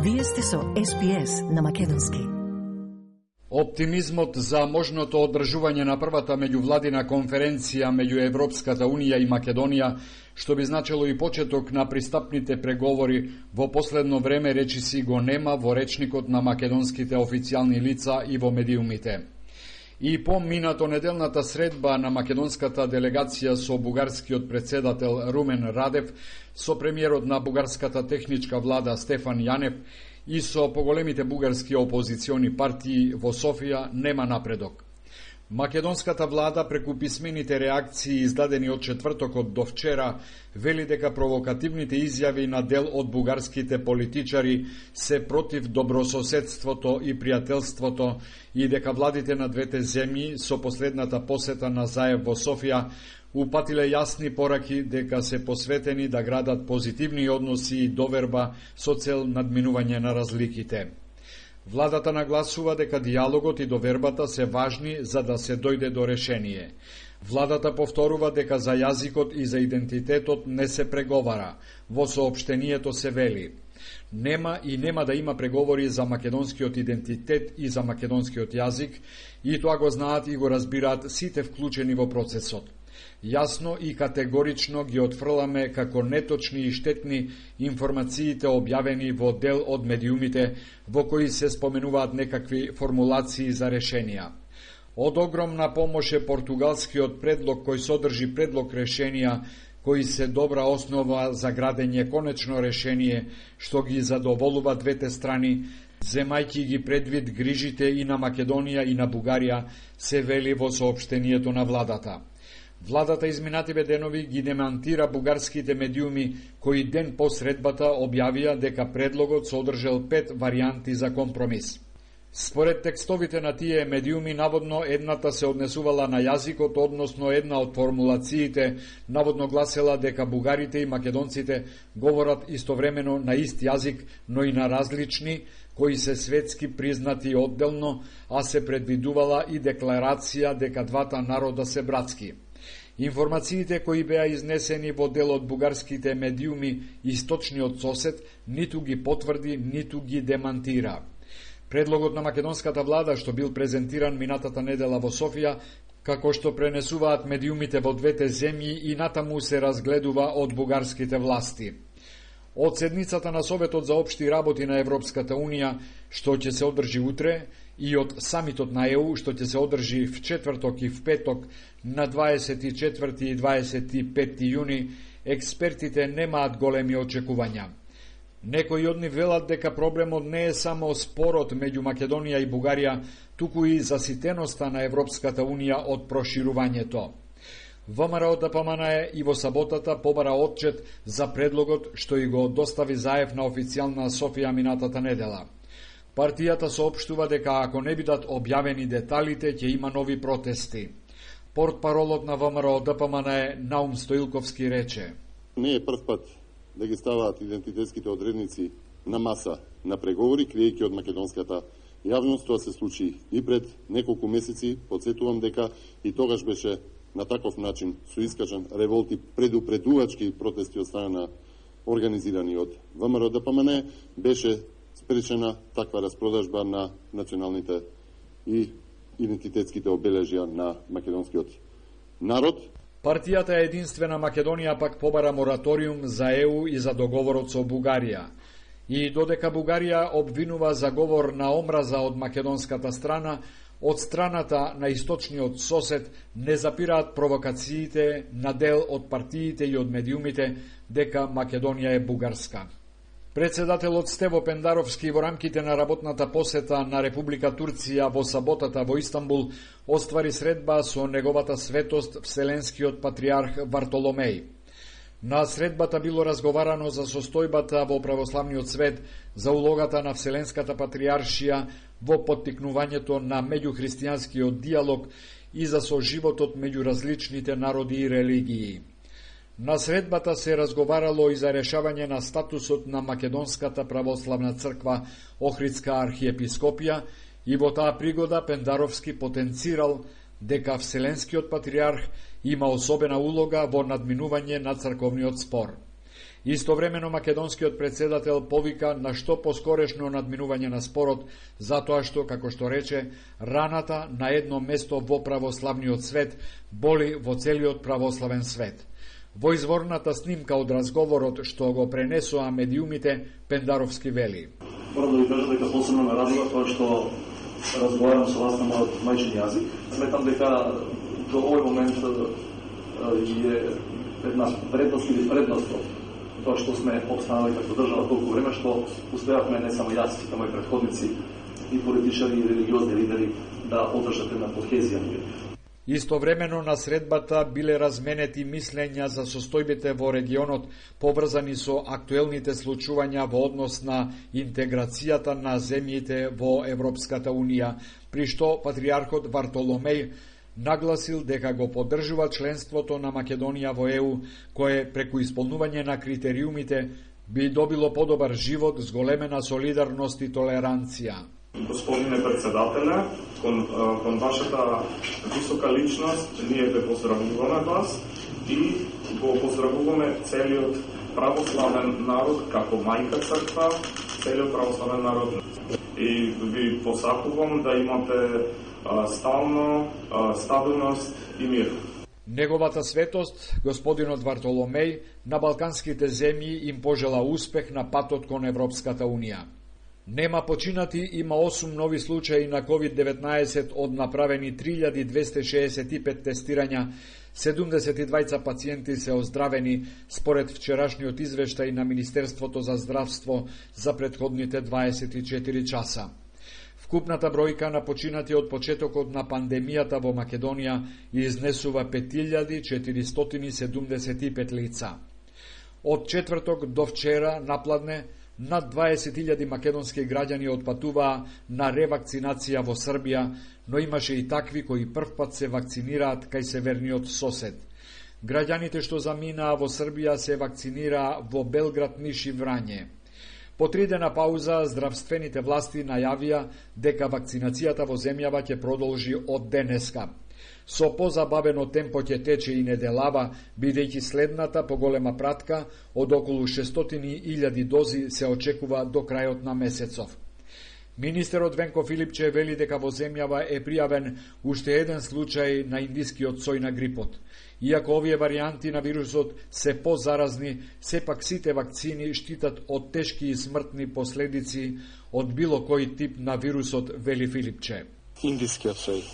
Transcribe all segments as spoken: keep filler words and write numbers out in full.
Вие сте со Ес Би Ес на македонски. Оптимизмот за можното одржување на првата меѓувладина конференција меѓу Европската Унија и Македонија, што би значило и почеток на пристапните преговори, во последно време речиси го нема во речникот на македонските официјални лица и во медиумите. И по минато неделната средба на македонската делегација со бугарскиот председател Румен Радев, со премиерот на бугарската техничка влада Стефан Јанев и со поголемите бугарски опозициони партии во Софија нема напредок. Македонската влада преку писмените реакции издадени од четвртокот до вчера вели дека провокативните изјави на дел од бугарските политичари се против добрососедството и пријателството и дека владите на двете земји со последната посета на Заев во Софија упатиле јасни пораки дека се посветени да градат позитивни односи и доверба со цел надминување на разликите. Владата нагласува дека диалогот и довербата се важни за да се дојде до решение. Владата повторува дека за јазикот и за идентитетот не се преговара. Во соопштението се вели: нема и нема да има преговори за македонскиот идентитет и за македонскиот јазик, и тоа го знаат и го разбираат сите вклучени во процесот. Јасно и категорично ги отфрламе како неточни и штетни информациите објавени во дел од медиумите во кои се споменуваат некакви формулации за решенија. Од огромна помош е португалскиот предлог кој содржи предлог решенија кои се добра основа за градење конечно решение што ги задоволува двете страни, земајќи ги предвид грижите и на Македонија и на Бугарија, се вели во соопштението на владата. Владата изминативе денови ги демантира бугарските медиуми кои ден по средбата објавија дека предлогот содржал пет варијанти за компромис. Според текстовите на тие медиуми, наводно едната се однесувала на јазикот, односно една од формулациите наводно гласела дека бугарите и македонците говорат истовремено на ист јазик, но и на различни, кои се светски признати одделно, а се предвидувала и декларација дека двата народа се братски. Информациите кои беа изнесени во дел од бугарските медиуми Источниот сосед ниту ги потврди, ниту ги демантира. Предлогот на македонската влада, што бил презентиран минатата недела во Софија, како што пренесуваат медиумите во двете земји, и натаму се разгледува од бугарските власти. Од седницата на Советот за општи работи на Европската Унија, што ќе се одржи утре, и од самитот на Е У, што ќе се одржи в четврток и в петок на дваесет и четврти и дваесет и пети јуни, експертите немаат големи очекувања. Некои од нив велат дека проблемот не е само спорот меѓу Македонија и Бугарија, туку и заситеноста на Европската Унија од проширувањето. ВМРО Д П М Н Е и во саботата побара отчет за предлогот што и го достави Заев на официјална Софија минатата недела. Партијата соопштува дека ако не бидат објавени деталите, ќе има нови протести. Портпаролот на ВМРО Д П М Н Е Наум Стоилковски рече: не е прв пат да ги ставаат идентитетските одредници на маса на преговори, криејќи од македонската јавност. Тоа се случи и пред неколку месеци. Подсетувам дека и тогаш беше на таков начин соискажан револт и предупредувачки протести од страна на организирани од ВМРО Д П М Н Е. Беше спречена таква распродажба на националните и идентитетските обележја на македонскиот народ. Партијата Единствена Македонија пак побара мораториум за Е У и за договорот со Бугарија. И додека Бугарија обвинува за говор на омраза од македонската страна, од страната на источниот сосед не запираат провокациите на дел од партиите и од медиумите дека Македонија е бугарска. Председателот Стево Пендаровски во рамките на работната посета на Република Турција во саботата во Истанбул оствари средба со неговата светост Вселенскиот патриарх Вартоломеј. На средбата било разговарано за состојбата во православниот свет, за улогата на Вселенската патриаршија во поттикнувањето на меѓухристијанскиот диалог и за соживотот меѓу различните народи и религии. На средбата се разговарало и за решавање на статусот на Македонската православна црква Охридска архиепископија, и во таа пригода Пендаровски потенцирал дека Вселенскиот патриарх има особена улога во надминување на црковниот спор. Истовремено македонскиот председател повика на што поскорешно надминување на спорот, затоа што, како што рече, раната на едно место во православниот свет боли во целиот православен свет. Во изворната снимка од разговорот што го пренесоа медиумите, Пендаровски вели: Морам да ви кажам дека посебно ме радува тоа што разговарам со вас на мојот мајчин јазик. Сметам дека до овој момент е една предност или предност тоа што сме обстанали како држава толку време, што успеавме не само јас, туку мои претходници и политичари и религиозни лидери да одржат една кохезија. Истовремено на средбата биле разменети мислења за состојбите во регионот поврзани со актуелните случувања во однос на интеграцијата на земјите во Европската Унија, при што патриархот Вартоломеј нагласил дека го поддржува членството на Македонија во Е У, кое преку исполнување на критериумите би добило подобар живот, зголемена солидарност и толеранција. Господине председателе, кон, кон вашата висока личност, ние ве поздравуваме вас и го поздравуваме целиот православен народ како мајка црква, целиот православен народ. И ви посакувам да имате стално стабилност и мир. Неговата светост, господинот Вартоломеј, на балканските земји им пожела успех на патот кон Европската Унија. Нема починати, има осум нови случаи на ковид деветнаесет од направени три илјади двесте шеесет и пет тестирања, седумдесет и двајца пациенти се оздравени според вчерашниот извештај на Министерството за здравство за претходните дваесет и четири часа. Вкупната бројка на починати од почетокот на пандемијата во Македонија изнесува пет илјади четиристотини седумдесет и пет лица. Од четврток до вчера напладне над дваесет илјади македонски граѓани отпатуваа на ревакцинација во Србија, но имаше и такви кои првпат се вакцинираат кај северниот сосед. Граѓаните што заминаа во Србија се вакцинираа во Белград, Ниш и Врање. По тридена пауза, здравствените власти најавија дека вакцинацијата во земјава ќе продолжи од денеска. Со позабавено темпо ќе тече и неделава, бидејќи следната поголема пратка од околу шестстотини илјади дози се очекува до крајот на месецов. Министерот Венко Филипче вели дека во земјава е пријавен уште еден случај на индискиот сој на грипот. Иако овие варијанти на вирусот се позаразни, сепак сите вакцини штитат од тешки и смртни последици од било кој тип на вирусот, вели Филипче. Индискиот сој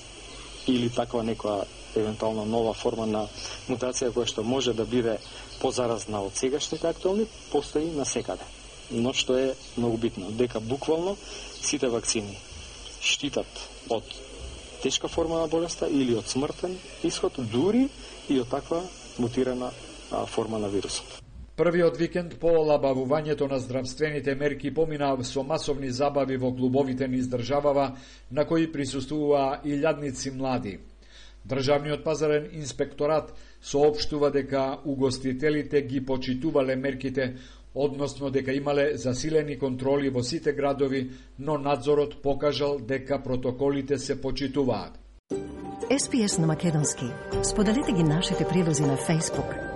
или таква некоја евентуална нова форма на мутација која што може да биде позаразна од сегашните актуелни, постои насекаде. Но што е многу битно, дека буквално сите вакцини штитат од тешка форма на болеста или од смртен исход, дури и од таква мутирана а, форма на вирусот. Првиот викенд по олабавувањето на здравствените мерки помина со масовни забави во клубовите низ државава, на кои присуствуваа илјадници млади. Државниот пазарен инспекторат соопштува дека угостителите ги почитувале мерките, односно дека имале засилени контроли во сите градови, но надзорот покажал дека протоколите се почитуваат. Ес Би Ес на македонски. Споделете ги нашите прилози на Facebook.